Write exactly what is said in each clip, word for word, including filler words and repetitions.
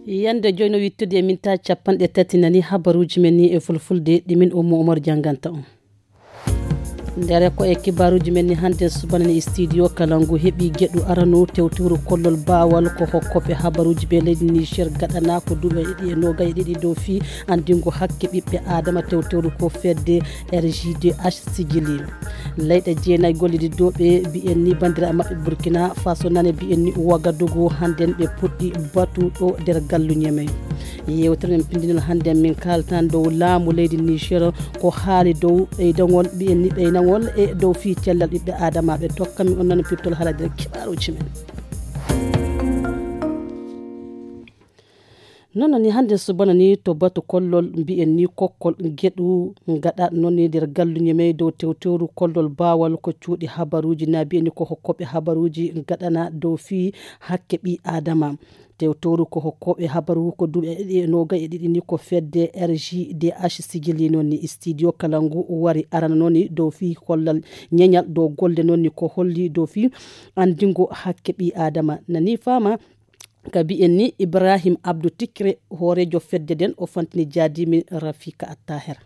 Yande joyi no wittude e minta capanɗe tati nani habaruuji men ni e fulfulde ɗi min Ummu Umar jannganta on. Ndere ko e kibaaruuji men ni hannde subana ni studio kala ngu heɓi geɗu arano tewtewru kollol baawal ko hokkoɓe habaruuji ɓe leydi Niger gaɗana ko duuɓi ɗiɗi e noga e ɗiɗi dow fii anndingo hakke ɓiɓɓe Adama tewtewru ko fedde R G D H sigili. Leyɗe jeenayi gollididooɓe mbiyen ni banndiraaɓe maɓɓe Burkina Faso nane mbiyen ni Wagadugu hannden ɓe puɗɗi batu ɗo nder gallu Ñemey. Yewtere men pindinol hannden min kaaltan dow laamu leydi Niger ko haali dow ɓeydagol mbiyen ni ɓeynagol e dow fii cellal ɓiɓɓe Adamaaɓe tokka min on nana pirtol haala nder kibaaruuji men. Nono ni hannde subana ni to batu kollol mbiyen ni kokkol geɗu gaɗa noon ni nder galluñe mey dow tewtewru kollol baawal ko cuuɗi habaruuji na mbiyen ni ko hokkoɓe habaruuji gaɗana dow fii hakke ɓi adama. Tewtewru ko hokkoɓe habaru ko duuɓi e ɗiɗi e noga e ɗiɗi ni ko fedde R G D H sigili noon ni studio kala ngu wari arana noon ni dow fii kollal ñeñal dow golle noon ni ko holli dow fii anndingo hakke ɓi adama nani fama. Ka mbiyen ni Ibrahim Abdou Tikre hoorejo fedde nden o fantini jaadimin Rafika Attaher.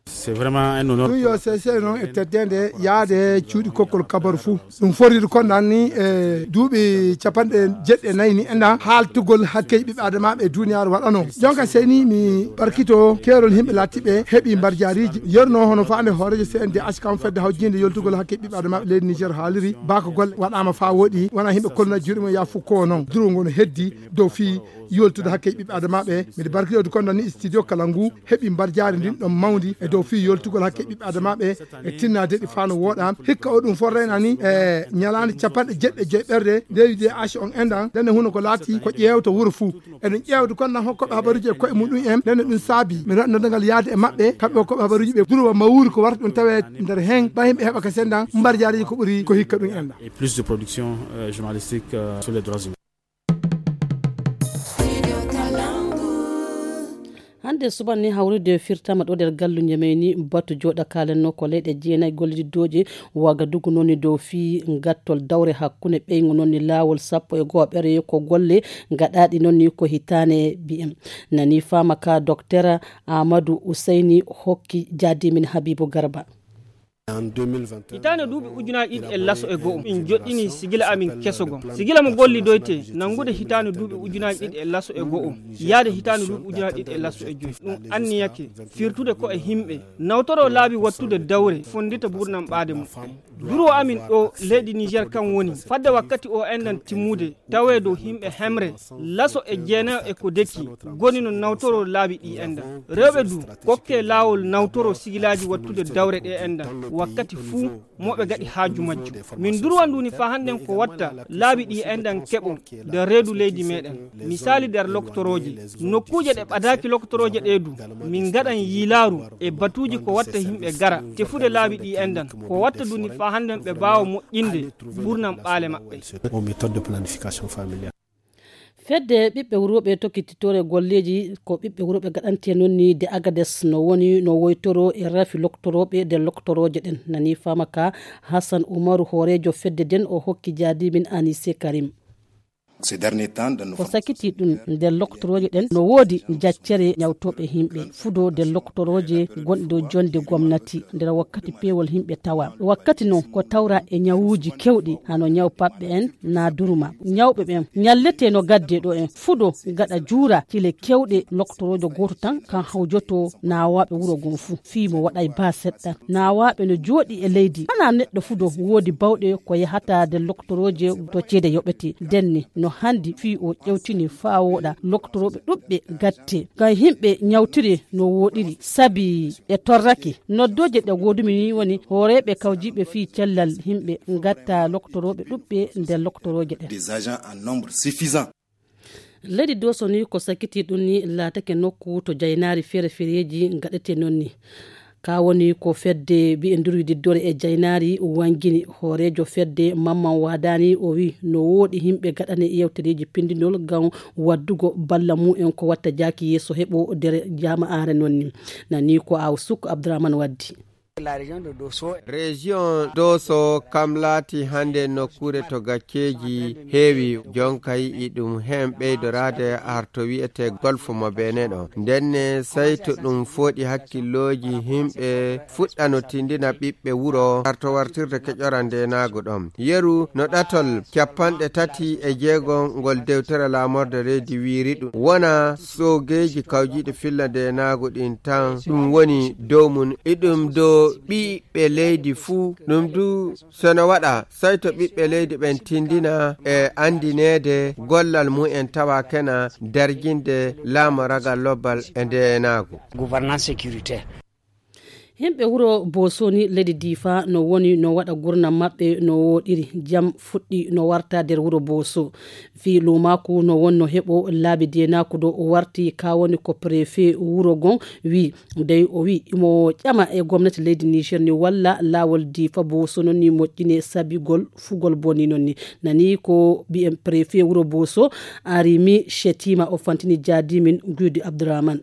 C'est vraiment un honneur. Ɗum yo sese noon e teddende yaade cuuɗi kokkol kabaru fuu. Ɗum foriri kon nan ni e duuɓi capanɗe jeɗɗi e nayi ni enɗan haaltugol hakkeji ɓiɓɓe adamaaɓe e duniyaaru waɗano. Jonka seni mi barkito keerol yimɓe laatiɓe heɓi mbarjaariji yerno hono faande hoorejo C N D H kam fedde hawjinde yoltugol hakkeji ɓiɓɓe adamaaɓe leydi Niger haaliri bako golle waɗama fa woɗi wona yimɓe kolna juuɗe mum ya fukko o noon durungo no heddi dow fii yoltude hakke ɓiɓɓe adamaaɓe. Miɗo barkiɗoyde kon noon ni studio kala ngu heɓi mbarjaari ndin ɗon mawndi e dow fii yoltugol hakke ɓiɓɓe adamaaɓe e tinnaade ɗi faa no wooɗa. Hikka o ɗum fof reynani e ñalaande capanɗe jeɗɗi e joy ɓerde leydi D H on enɗan ndenne huno ko laati ko ƴeewta wuro fuu. Eɗen ƴeewde kon nan hokkoɓe habaruuji e koye muɗum en ndenne ɗum saabi mi waɗnode ngal yaade e maɓɓe kamɓe hokkoɓe habaruuji ɓe durowa mawuri ko warta ɗum tawe nder heen ɓay himɓe heɓa ka sendan mbarjaariji ko ɓuri ko hikka ɗum enɗan. Et plus de production euh, journalistique euh, sur les droits humains. Hannde suban ni hawrude firtama ɗo nder galluje men ni batu joɗa kalenno ko leyɗe jeenayi gollididdoje wagadugu noon ni dow fii gattol dawre hakkunde ɓeygu noon ni laawol sappo e go'oɓere ko golle gaɗaɗi noon ni ko hitane B M nani fama ka docteur Amadou Ousseini hokki jaadimin Habibu Garba. Hitaande duuɓi ujunaaji ɗiɗi e laso e go'o min joɗɗini sigila amin keso gom sigila mo gollidoyte nanngude hitaande duuɓi ujunaaji ɗiɗi e laso e go'o yaade hitaande duuɓi ujunaaji ɗiɗi e laso e joyi ɗum anniyake firtude ko e himɓe nawtoro laabi wattude dawre fonndita burnam ɓaade muɓɓen duro amin ɗo leydi niger kan woni fadde wakkati o enɗan timmude tawee dow himɓe hemre laso e jeenayo e ko deki goni no nawtoro laabi ɗi enɗan rewɓe du kokke laawol nawtoro sigilaaji wattude dawre ɗe enɗan wakkati fuu moɓe gaɗi haaju majjo min durwa nduni fa hannden ko watta laabi ɗi enɗan keɓo nder reedu leydi meɗen misali nder loktorooje nokkuuje ɗe ɓadaaki loktorooje ɗe du min gaɗan yiilaaru e batuuji ko watta yimɓe gara tefude laabi ɗi enɗan ko watta duni fa hannden ɓe mbaawa moƴƴinde ɓurnam ɓaale maɓɓe. Fedde ɓiɓɓe wurooɓe tokkititoore golleeji ko ɓiɓɓe wurooɓe gaɗante noon ni de agades no woni no woytoro e rafi loktorooɓe de loktorooje ɗen nani fama ka hassan umaru hooreejo fedde den o hokki jaadimin anise karim. Ko sakiti ɗum nder loktorooje ɗen no woodi jaccere ñawtooɓe yimɓe fudo nder loktorooje gonɗe dow jonde gomnati nder wakkati peewol yimɓe tawa wakkati noon ko tawra e ñawuuji kewɗi hano ñaw paɓɓe en na durma ñawɓe ɓen ñallete no gadde ɗo en fudo gaɗa juura cile kewɗe loktoroojo gooto tan kan hawjoto naawaaɓe wuro ngon fuu fii mo waɗay baa seɗɗa naawaaɓe no jooɗi e leydi hana neɗɗo fudo woodi bawɗe ko yahata nder loktorooje to ceede yoɓete ndenne no hanndi fii o ƴewtini faa wooɗa loktorooɓe ɗuɓɓe gatte ngam yimɓe ñawtiri no wooɗiri sabi ɓe torrake noddooje ɗe ngoodumi ni woni hooreeɓe kawjiiɓe fii cellal yimɓe ngatta loktorooɓe ɗuɓɓe nder loktorooje ɗen. Leydi doso ni ko sakiti ɗum ni laatake nokku to jaynaari feere feereeji ngaɗete noon ni ka woni ko fedde mbiye ndurwididdore e jaynaari wangini hooreejo fedde mamman waadani o wi no wooɗi yimɓe gaɗane yewtereeji pindinol ngam waddugo balla mumen ko watta jaaki yeeso heɓo nder jama'aare noon ni nani ko aw suk abdourahmane waddi. Région Doso kam laati hannde nokkuure to gacceeji heewi, jonka yiɗi ɗum heen ɓeydoraade har to wiyetee Golfe mo Benin ɗo. Ndenne, say to ɗum fooɗi hakkillooji, yimɓe fuɗɗa no tindina ɓiɓɓe wuro har to wartirde keƴora ndeenaagu ɗon. Yeru no ɗatol capanɗe tati e jeego ngol dewtere laamorde reedi wiyri ɗum wona soogeeji kawjiiɗi filla ndeenaagu ɗin tan ɗum woni dow mum. Iɗum dow ɓiɓɓe leydi fuu. Ɗum du, so no waɗa, say to ɓiɓɓe leydi ɓen tindina e andineede gollal mum en tawa kena darjinde laamu ragal lobbal e ndeenaagu. Gouvernance sécuritaire. Himɓe wuro Bosoni leydi Difa no woni no waɗa gurnam maɓɓe no woɗiri. Jam fuɗɗi no warta nder wuro Boso. Fii luumaaku no wonno heɓo laabi deenaaku ɗo o warti ka woni ko préfet wuro gon wi. Dey o wi imo ƴama e gomnati leydi Niger ni walla laawol Difa Boso non ni moƴƴine sabigol fugol boni non ni. Nani ko mbiyen préfet wuro Boso Arimi Shetima o fantini jaadimin Gudi Abdurrahman.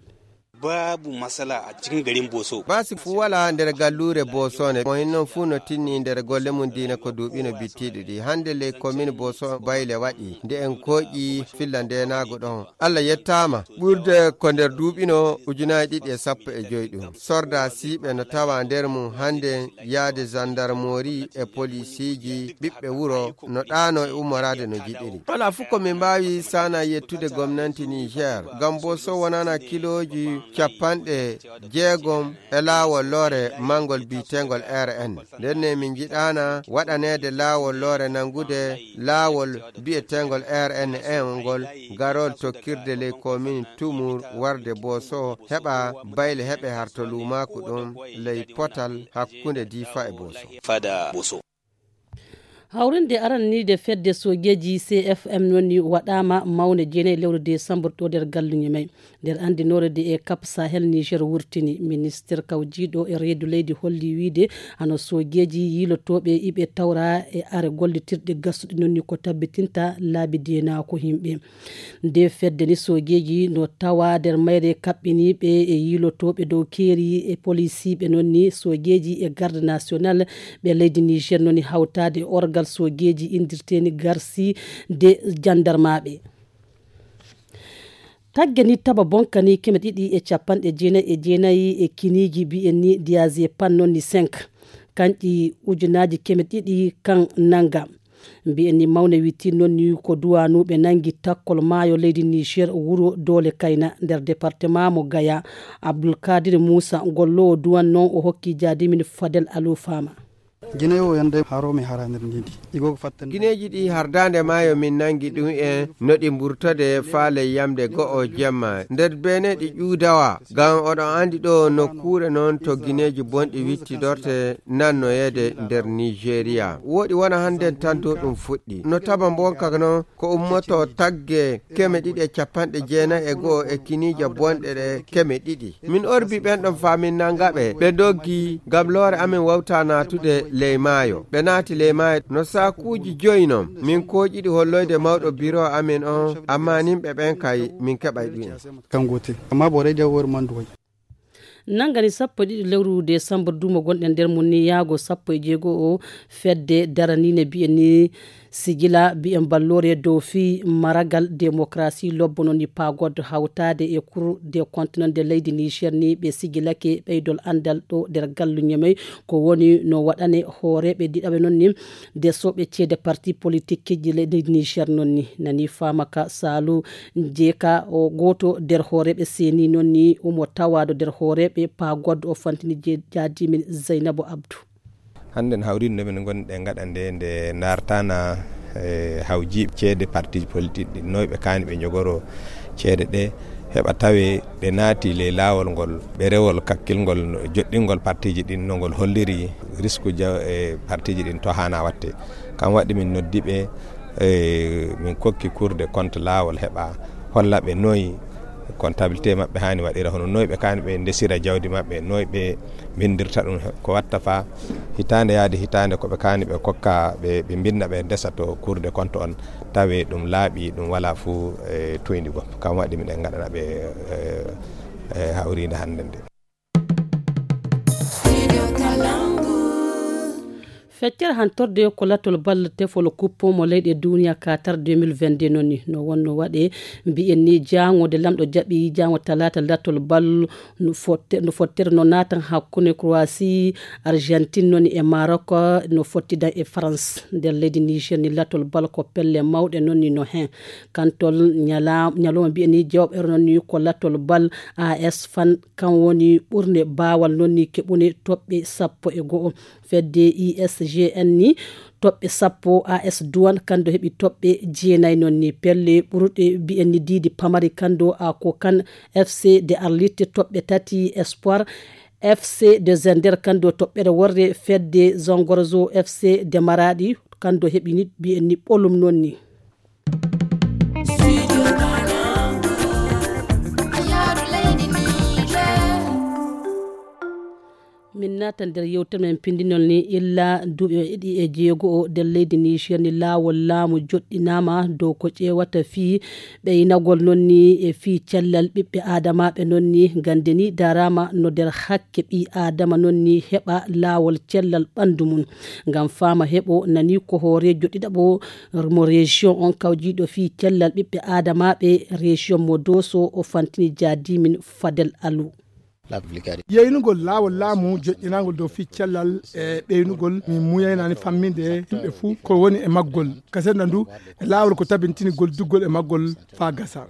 Babu masala a cikin garin Boso. Baasi fu wala nder galluure Boso ne. Mo hinnon fu no tinni nder golle mum diina ko duuɓi no bittiɗi ɗi. Hannde ley commune Boso bayle waɗi. Nde en kooƴi filla ndeenaagu ɗon. Allah yettaama. Ɓurde ko nder duuɓi no ujunaaji ɗiɗi e sappo e joy ɗum. Sorda siiɓe no tawa nder mum hannde yaade gendarmerie e polisiiji ɓiɓɓe wuro no ɗaano e ummoraade no jiɗiri. Wala fu ko min mbaawi sana yettude gomnanti Niger. Ngam Boso wonana kilooji capanɗe jeegom e laawol loore mangol biiteengol R N. Nden ne min njiɗaana waɗaneede laawol loore nangude laawol biyeteengol R N N ngol garol tokkirde ley komin Tumur warde Boso heɓa bayle heɓe harto luumaaku ɗum ley potal hakkunde Difa e Boso. Fada Boso. Hawrinde arannide fedde soojeeji C F M noon ni waɗaama mawne jeenayi lewru desambur ɗo nder galluñi may. Nder anndinoore de e Cap Sahel Niger wurtini, ministir kawjiiɗo e reedu leydi holli wiide hano soojeeji yiilotooɓe iɓe tawra e are gollitirɗe gassuɗi noon ni ko tabbitinta laabi deenaaku yimɓe. Nde fedde ni soojeeji no tawa nder mayre kaɓɓiniiɓe e yiilotooɓe dow keeri e polisiiɓe noon ni soojeeji e garde national ɓe leydi Niger noon ni hawtaade orgal soojeeji indirteeni garsi de jandarmaaɓe. Tagge ni taba bonka ni keme ɗiɗi e capanɗe jeenayi e jeenayi e kiniiji mbiyen ni diazépam noon ni cinq. Kanƴi ujunaaji keme ɗiɗi kan nanga. Mbiyen ni mawne witti noon ni ko duwanuɓe nangi takkol maayo leydi Niger wuro Doole Kayna nder département mo Gaya. Abdulkadir Moussa golloowo duwan noon o hokki jaadimin Fadel Alou Fama. Gine o yande haro mi hara nder ndiydi. Igo ko fatten. Gineeji ɗi hardaande maayo min nangi ɗum en no ɗi mburtode faa ley yamde go'o jemma. Nder Benin ɗi ƴuudawa, ngam oɗon anndi ɗo nokkuure noon to gineeji bonɗi wittidorte nannoyeede nder Nigeria. Woɗi wona hannden tan dow ɗum fuɗɗi. No taba mbonka noon ko ummoto tagge keme ɗiɗi e capanɗe jeenayi e go'o e kiniije bonɗe ɗe keme ɗiɗi. Min orbi ɓen ɗon faa min nanga ɓe. Ɓe doggi ngam loore amin wawta naatude ley maayo. Ɓe naati ley maayo no saakuuji joyi non. Min kooƴiɗi holloyde mawɗo biro amin on, ammaa nimɓe ɓen kay min keɓay ɗum en. Kan gotel. Amma borai da wor man duwai. Nangani sappo e ɗiɗi lewru desambur duumo gonɗen nder mum ni yaago sappo e jeego o fedde daraniinde mbiyen ni sigila mbiyen balloore dow fii maragal démocratie lobbo noon ni paagoddo hawtaade e Cour des comptes noon de leydi Niger ni ɓe sigilake ɓeydol anndal ɗo nder galluñe may ko woni no waɗane hooreeɓe ɗiɗaɓe noon ni desooɓe ceede parti politique ji leydi Niger noon ni nani faama ka Saalu Jeeka o gooto nder hooreeɓe seeni noon ni omo tawaado nder hooreeɓe paagoddo o fantini je- jaadimin Zeynabu Abdu. Hannden hawriinde nde min ngonɗe ngaɗa nde nde ndartana e hawjiiɓe ceede partiiji politique ɗi noyɓe kaani ɓe njogoro ceede ɗe heɓa tawe ɗe naati ley laawol ngol ɓerewol kakkilngol joɗɗingol partiiji ɗin no ngol holliri risque ja- e partiiji ɗin to haana watte. Kam waɗi min noddi ɓe e min kokki Cour des comptes laawol heɓa holla ɓe noy comptabilité maɓɓe haani waɗira hono noy ɓe kaani ɓe ndesira jawdi maɓɓe noy ɓe mbindirta ɗum ko watta fa hitaande yaade hitaande ko ɓe kaani ɓe kokka ɓe ɓe mbinna ɓe ndesa to Cour des comptes on tawe ɗum laaɓi ɗum wala fuu e toyndi gom kam waɗi miɗen ngaɗana ɓe e e hawriinde hannde nde. Feccere hantorde ko latol bal tefol kuppo mo leyɗe duniya Qatar deux mille vingt-deux noon ni no wonno waɗe. Mbiyen ni jaango nde lamɗo jaɓi jaango talaata latol bal no fotte-, no fottere no naatan hakkunde Croatie, Argentine noon ni e Maroc, no fottidan e France. Nder leydi Niger ni latol bal ko pelle mawɗe noon ni no hen. Kantol ñala-, ñalawma mbiyen ni jawɓere noon ni ko latol bal A S Fan, kan woni ɓurnde baawal noon ni keɓune toɓɓe sappo e go'o. Fedde I S G N ni toɓɓe sappo, A S Douane kando heɓi toɓɓe jeenayi noon ni. Pelle ɓurɗe mbiyen ni diidi pamari kando a ko kan F C de Arlit toɓɓe tati, Espoir F C de Zender kando toɓɓere worre, fedde Zongorzo F C de Maradi kando heɓi ni mbiyen ni ɓolum noon ni. Min naata nder yewtere men pindinol ni illa duuɓi e ɗiɗi e jeego o nder leydi Niger ni laawol laamu joɗɗinaama dow ko ƴeewata fii ɓeynagol noon ni e fii cellal ɓiɓɓe aadamaaɓe noon ni gannde ni daraama no nder hakke ɓii aadama noon ni heɓa laawol cellal ɓanndu mum. Ngam faama heɓo nani ko hooreejo ɗiɗaɓo mo région on kawjiiɗo fii cellal ɓiɓɓe aadamaaɓe région mo Dooso o fantini jaadimin Fadel Alu. Yeynugol laawol laamu joƴƴinaangol dow fii cellal e ɓeynugol min muyaynani famminde yimɓe fuu ko woni e maggol. Kasenna ndu e laawol ko tabintinigol duggol e maggol faa gasa.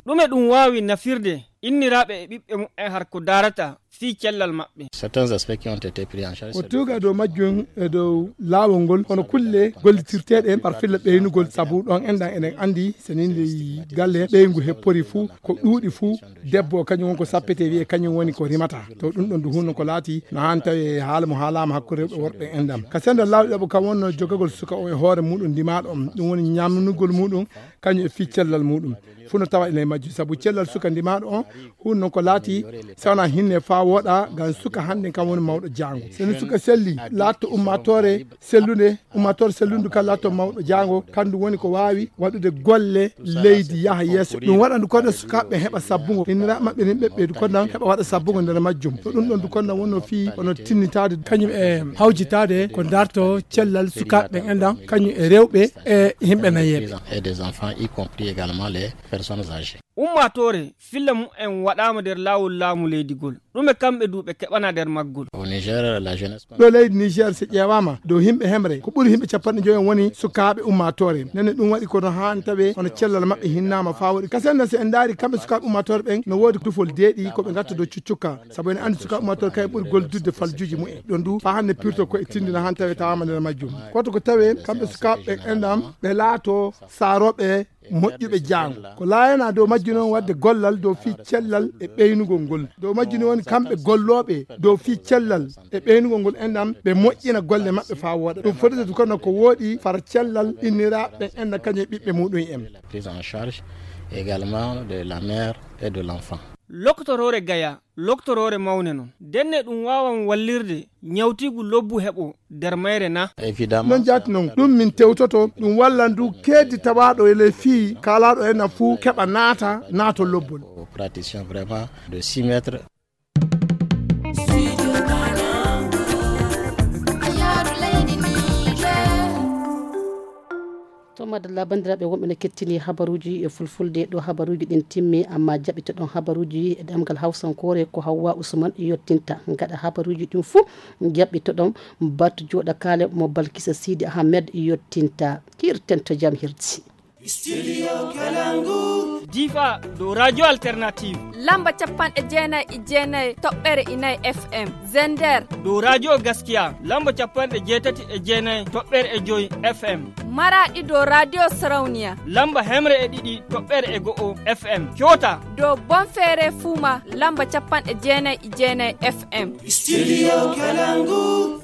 Ɗume ɗum waawi nafirde inniraaɓe e ɓiɓɓe muɓɓen har ko daarata fii cellal maɓɓe? Certains aspects qui ont été pris en charge. O tuuga dow majjum e dow laawol ngol, hono kulle gollitirteeɗe par filla ɓeynugol, sabu ɗon enɗan eɗen anndi so nii ndi galle ɓeyngu heppori fuu, ko ɗuuɗi fuu, debbo o kañum woni ko sappete wiye kañum woni ko rimata. To ɗum ɗon du hunno ko laati no haan tawi haala mo haalaama hakkunde rewɓe worɓe enɗan. Ka senda laawol ɗiɗaɓo kam wonno jogagol suka o e hoore muɗum ndimaaɗo on, ɗum woni ñamnugol muɗum kañum e fii cellal muɗum. Fuu no tawa ene majji, sabu cellal suka ndimaaɗo on, huun noon ko laati, so wonaa hinne faa wooɗa, ngam suka hannden kam woni mawɗo jaango. So ni suka selli, laatto ummaatoore sellunde, ummaatoore sellundu kan laatto mawɗo jaango, kandu woni ko waawi waɗude golle leydi yaha yeeso. Ɗum waɗa ndu kono sukaaɓe heɓa sabbungo, inniraaɓe maɓɓe nin ɓeɓɓe du kono heɓa waɗa sabbungo nder majjum. To ɗum ɗon du kono wonno fii, hono tinnitaade kañum e hawjitaade ko darto cellal sukaaɓe ɓen enɗan, kañum e rewɓe e yimɓe nayeeɓe. Et des enfants, y compris également les personnes âgées. Ummaatoore filla mumen waɗaama nder laawol laamu leydi gol. Ɗume kamɓe du ɓe keɓana nder maggol? Au Niger, la jeunesse. Ɗo leydi Niger, so ƴeewaama, dow yimɓe hemre, ko ɓuri yimɓe cappanɗe joyi en woni sukaaɓe ummaatoore. Nene ɗum waɗi kono haan tawe hono cellal maɓɓe hinnaama faa waɗi. Kasen na, so en ndaari kamɓe sukaaɓe ummaatoore ɓen, no woodi dufol deeɗi ko ɓe ngatta dow cuccukka. Sabu ene anndi sukaaɓe ummaatoore kayen ɓuri gollidde faljuuji mumen. Ɗon du, faa hannde pirto ko e tindina haan tawe tawaama nder majjum. Koto ko tawe kamɓe sukaaɓe ɓen enɗan, ɓe laato saarooɓe moƴƴuɓe jaango. Ko laayana dow majjum noon waɗde gollal dow fii cellal e ɓeynugol ngol. Dow majjum noon woni kamɓe gollooɓe dow fii cellal e ɓeynugol ngol enɗan ɓe moƴƴina golle maɓɓe faa wooɗa. Ɗum fotata kono ko wooɗi fara cellal inniraaɓe ɓen enɗan kañum e ɓiɓɓe muɗum en. Prise en charge également de la mère et de l'enfant. Lokotoroore gaya, lokotoroore mawne noon. Ndenne ɗum waawan wallirde ñawtiigu lobbu heɓo nder mayre na? Évidemment. Non jaati non, ɗum min tewtoto, ɗum wallan du keedi tawaaɗo e ley fii kaalaaɗo en na fuu keɓa naata, naato lobbol. Aux praticiens vraiment de six mètres. To madalla, banndiraaɓe wonɓe no kettini habaruuji e fulfulde ɗo habaruuji ɗin timmi, amma jaɓɓitoɗon habaruuji e ɗemngal hawsankoore ko Hawwa Usman yottinta. Gaɗa habaruuji ɗin fuu, jaɓɓitoɗon batu jooɗa kaale mo Balkisa Sidi Ahmed yottinta. Kiirten to jam hirti. Studio Kalangu. Difa dow Radio Alternative. Lamba capanɗe jeenayi e jeenayi toɓɓere inayi F M. Zender. Dow Radio Gaskiya. Lamba capanɗe jeetati e jeenayi toɓɓere e joyi F M. Maraɗi dow Radio Sarauniya. Lamba hemre e ɗiɗi toɓɓere e go'o F M. Coota. Dow Bonfere Fuma. Lamba capanɗe jeenayi e jeenayi F M. Studio Kalangu.